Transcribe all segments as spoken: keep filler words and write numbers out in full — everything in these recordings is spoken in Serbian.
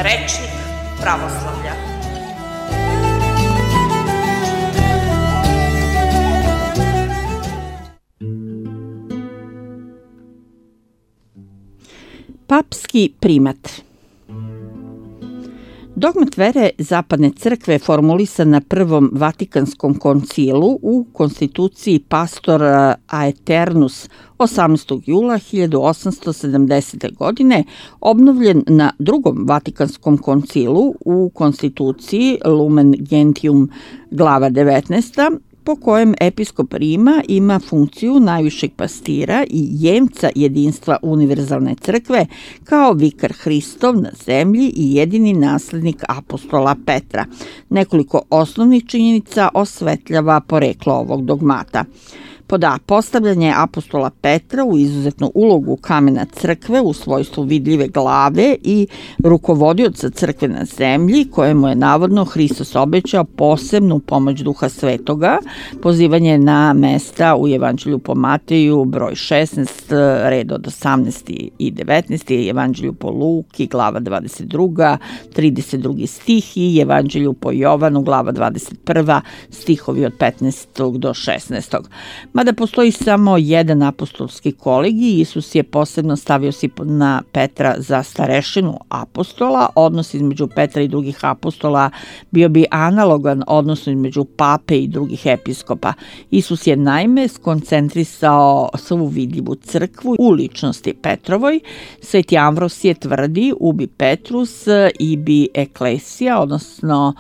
Rečnik pravoslavlja. Papski primat. Dogmat vere Zapadne crkve formulisan na Prvom Vatikanskom koncilu u konstituciji Pastor Aeternus osamnaestog jula hiljadu osamsto sedamdesete. godine, obnovljen na Drugom Vatikanskom koncilu u konstituciji Lumen Gentium glava devetnaesta, po kojem episkop Rima ima funkciju najvišeg pastira i jemca jedinstva univerzalne crkve kao vikar Hristov na zemlji i jedini naslednik apostola Petra. Nekoliko osnovnih činjenica osvetljava poreklo ovog dogmata. Pod A. Postavljanje apostola Petra u izuzetnu ulogu kamena crkve u svojstvu vidljive glave i rukovodioca crkve na zemlji, kojemu je navodno Hristos obećao posebnu pomoć Duha Svetoga, pozivanje na mesta u Evanđelju po Mateju, broj šesnaest, red od osamnaest i devetnaest, i Evanđelju po Luki, glava dvadeset dva, trideset drugi stih, i Evanđelju po Jovanu, glava dvadeset prva, stihovi od petnaestog do šesnaestog. Mada postoji samo jedan apostolski kolegij, Isus je posebno stavio Simona Petra za starešinu apostola. Odnos između Petra i drugih apostola bio bi analogan odnosu između pape i drugih episkopa. Isus je naime skoncentrisao svu vidljivu crkvu u ličnosti Petrovoj. Sveti Amvrosije tvrdi ubi Petrus ibi eklesija, odnosno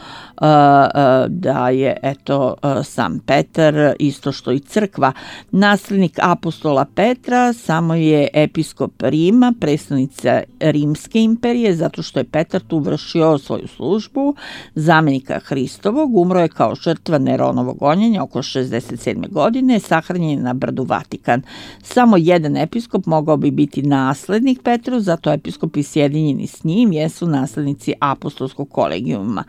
da je eto sam Petar isto što i crkva. Naslednik apostola Petra samo je episkop Rima, predstavnica Rimske imperije, zato što je Petar tu vršio svoju službu zamenika Hristovog. Umro je kao žrtva Neronovog gonjenja oko šezdeset sedme. godine, sahranjen je na brdu Vatikan. Samo jedan episkop mogao bi biti naslednik Petru, zato episkopi sjedinjeni s njim jesu naslednici apostolskog kolegijuma.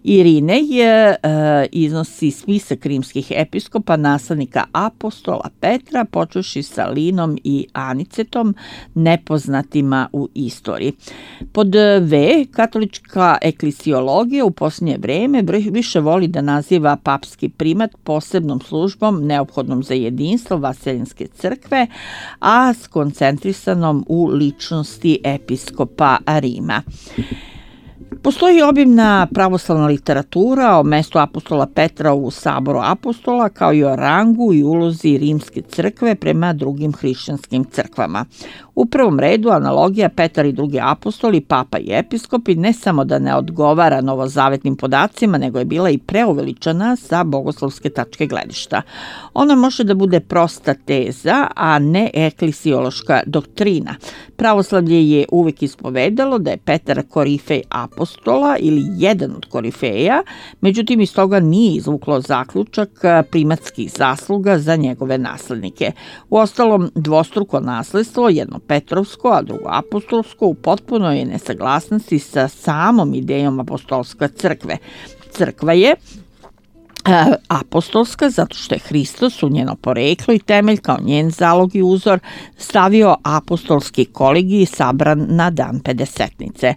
Irinej je, e, iznosi spisak rimskih episkopa, naslednika apostola Petra, počevši sa Linom i Anicetom, nepoznatima u istoriji. Pod V, katolička eklesiologija u posljednje vreme više voli da naziva papski primat posebnom službom neophodnom za jedinstvo vaseljenske crkve, a skoncentrisanom u ličnosti episkopa Rima. Postoji obimna pravoslavna literatura o mestu apostola Petra u saboru apostola, kao i o rangu i ulozi rimske crkve prema drugim hrišćanskim crkvama. U prvom redu analogija Petar i drugi apostoli, papa i episkopi ne samo da ne odgovara novozavetnim podacima, nego je bila i preuveličana sa bogoslovske tačke gledišta. Ona može da bude prosta teza, a ne eklesiološka doktrina. Pravoslavlje je uvek ispovedalo da je Petar korifej apostola ili jedan od korifeja, međutim iz toga nije izvuklo zaključak primatskih zasluga za njegove naslednike. Uostalom, dvostruko nasledstvo, jedno Petrovsko, a drugo apostolsko, u potpunoj je nesaglasnosti sa samom idejom apostolske crkve. Crkva je apostolska zato što je Hristos u njeno poreklo i temelj kao njen zalog i uzor stavio apostolski kolegij sabran na dan Pedesetnice.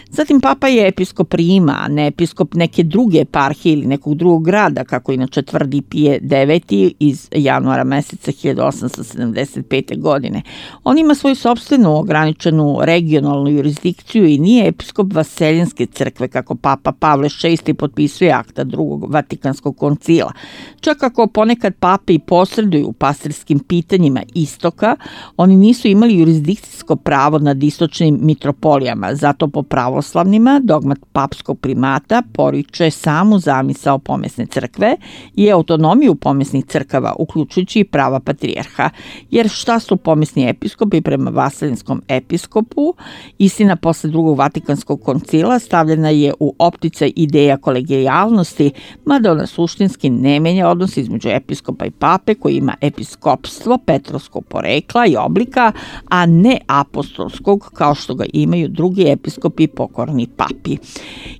Zatim papa je episkop Rima, a ne episkop neke druge eparhije ili nekog drugog grada, kako inače tvrdi Pije deveti iz januara meseca hiljadu osamsto sedamdeset pete. godine. On ima svoju sopstvenu ograničenu regionalnu jurisdikciju i nije episkop vaseljenske crkve, kako papa Pavle šesti potpisuje akta drugog Vatikanskog koncila. Čak ako ponekad pape i posreduju u pastirskim pitanjima istoka, oni nisu imali jurisdikcijsko pravo nad istočnim mitropolijama, zato po pravoslavnima dogmat papskog primata poriče samu zamisao pomesne crkve i autonomiju pomesnih crkava, uključujući i prava patrijarha. Jer šta su pomesni episkopi prema vaseljenskom episkopu? Istina, posle drugog Vatikanskog koncila stavljena je u opticaj ideja kolegijalnosti, mada ona suštinski ne menja odnos između episkopa i pape koji ima episkopstvo petrovskog porekla i oblika, a ne apostolskog kao što ga imaju drugi episkopi pokorni papi.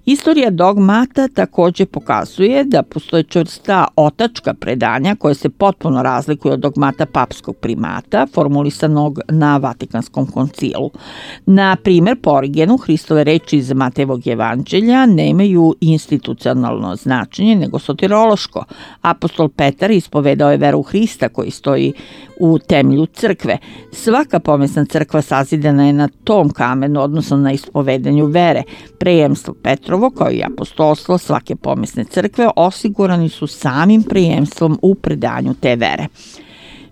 Istorija dogmata takođe pokazuje da postoje čvrsta otačka predanja koje se potpuno razlikuju od dogmata papskog primata formulisanog na Vatikanskom koncilu. Na primer, po Origenu, Hristove reči iz Matejevog evanđelja nemaju institucionalno značenje, nego soterološko. Apostol Petar ispovedao je veru Hrista koji stoji u temelju crkve. Svaka pomesna crkva sazidana je na tom kamenu, odnosno na ispovedanju vere. Prejemstvo Petrovo, kao i apostolstvo svake pomesne crkve, osigurani su samim prejemstvom u predanju te vere.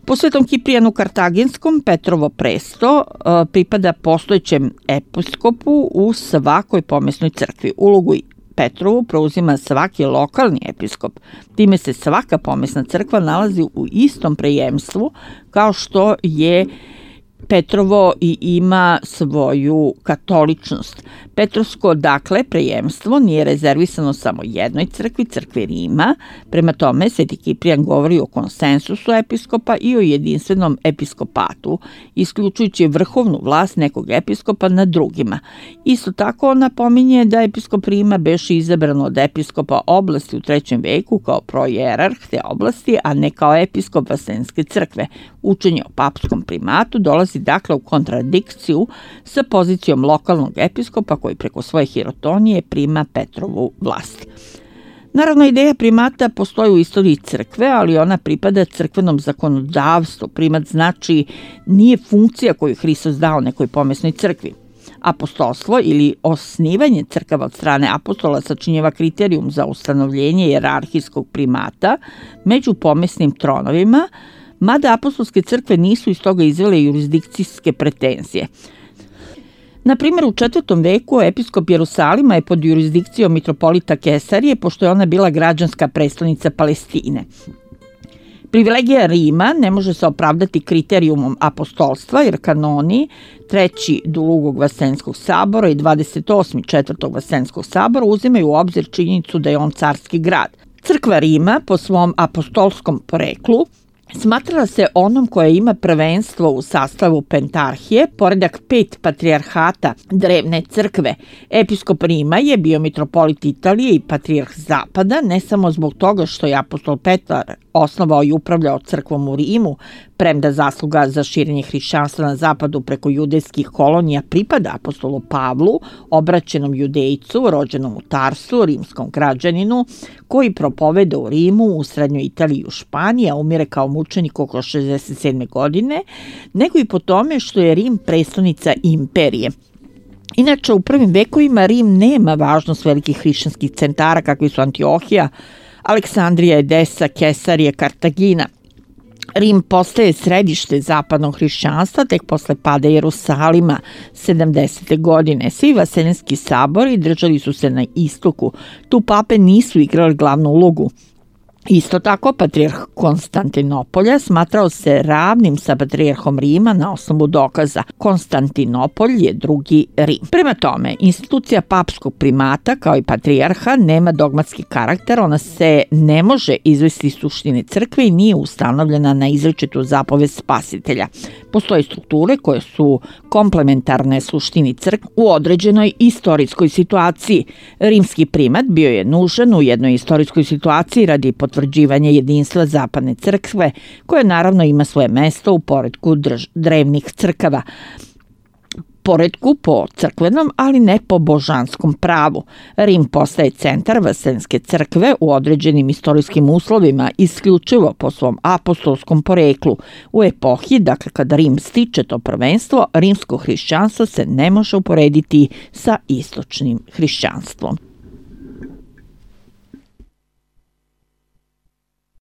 Po Svetom Kiprijanu Kartagenskom Petrovo presto pripada postojećem episkopu u svakoj pomesnoj crkvi. Ulogu Petrovu preuzima svaki lokalni episkop. Time se svaka pomesna crkva nalazi u istom prejemstvu kao što je Petrovo i ima svoju katoličnost. Petrovsko, dakle, prejemstvo nije rezervisano samo jednoj crkvi, crkvi Rima. Prema tome, Sveti Kiprijan govori o konsensusu episkopa i o jedinstvenom episkopatu, isključujući vrhovnu vlast nekog episkopa nad drugima. Isto tako, on napominje da episkop Rima beše izabran od episkopa oblasti u trećem veku kao projerarh te oblasti, a ne kao episkop Vaseljenske crkve. Učenje o papskom primatu dolazi dakle u kontradikciju sa pozicijom lokalnog episkopa koji preko svoje hirotonije prima Petrovu vlast. Naravno, ideja primata postoji u istoriji crkve, ali ona pripada crkvenom zakonodavstvu. Primat znači nije funkcija koju Hristos dao nekoj pomesnoj crkvi. Apostolstvo ili osnivanje crkava od strane apostola sačinjava kriterijum za ustanovljenje jerarhijskog primata među pomesnim tronovima, mada apostolske crkve nisu iz toga izvele jurisdikcijske pretenzije. Na primjer, u četvrtom veku episkop Jerusalima je pod jurisdikcijom mitropolita Kesarije, pošto je ona bila građanska prestonica Palestine. Privilegija Rima ne može se opravdati kriterijumom apostolstva, jer kanoni treći drugog Vaseljenskog sabora i dvadeset osmi četvrtog Vaseljenskog sabora uzimaju u obzir činjenicu da je on carski grad. Crkva Rima, po svom apostolskom poreklu, smatrala se onom koja ima prvenstvo u sastavu pentarhije, poredak pet patrijarhata drevne crkve. Episkop Rima je bio mitropolit Italije i patrijarh Zapada, ne samo zbog toga što je apostol Petar osnovao i upravljao crkvom u Rimu, premda zasluga za širenje hrišćanstva na zapadu preko judejskih kolonija pripada apostolu Pavlu, obraćenom judejcu, rođenom u Tarsu, rimskom građaninu, koji propoveda u Rimu, u srednjoj Italiji i u Španiji, a umire kao mučenik oko šezdeset sedme godine, nego i po tome što je Rim prestonica imperije. Inače, u prvim vekovima Rim nema važnost velikih hrišćanskih centara kakvi su Antiohija, Aleksandrija, Edesa, Kesarije, Kartagina. Rim postaje središte zapadnog hrišćanstva tek posle pada Jerusalima sedamdesete godine. Svi vaseljenski sabori držali su se na istoku. Tu pape nisu igrali glavnu ulogu. Isto tako, patrijarh Konstantinopolja smatrao se ravnim sa patrijarhom Rima na osnovu dokaza. Konstantinopolj je drugi Rim. Prema tome, institucija papskog primata kao i patrijarha nema dogmatski karakter, ona se ne može izvesti iz suštine crkve i nije ustanovljena na izričitu zapovest spasitelja. Postoje strukture koje su komplementarne suštini crkve u određenoj istorijskoj situaciji. Rimski primat bio je nužan u jednoj istorijskoj situaciji radi potvrđivanja jedinstva zapadne crkve, koje naravno ima svoje mesto u poretku drž- drevnih crkava. Poretku po crkvenom, ali ne po božanskom pravu. Rim postaje centar Vaseljenske crkve u određenim istorijskim uslovima, isključivo po svom apostolskom poreklu. U epohi, dakle kada Rim stiče to prvenstvo, rimsko hrišćanstvo se ne može uporediti sa istočnim hrišćanstvom.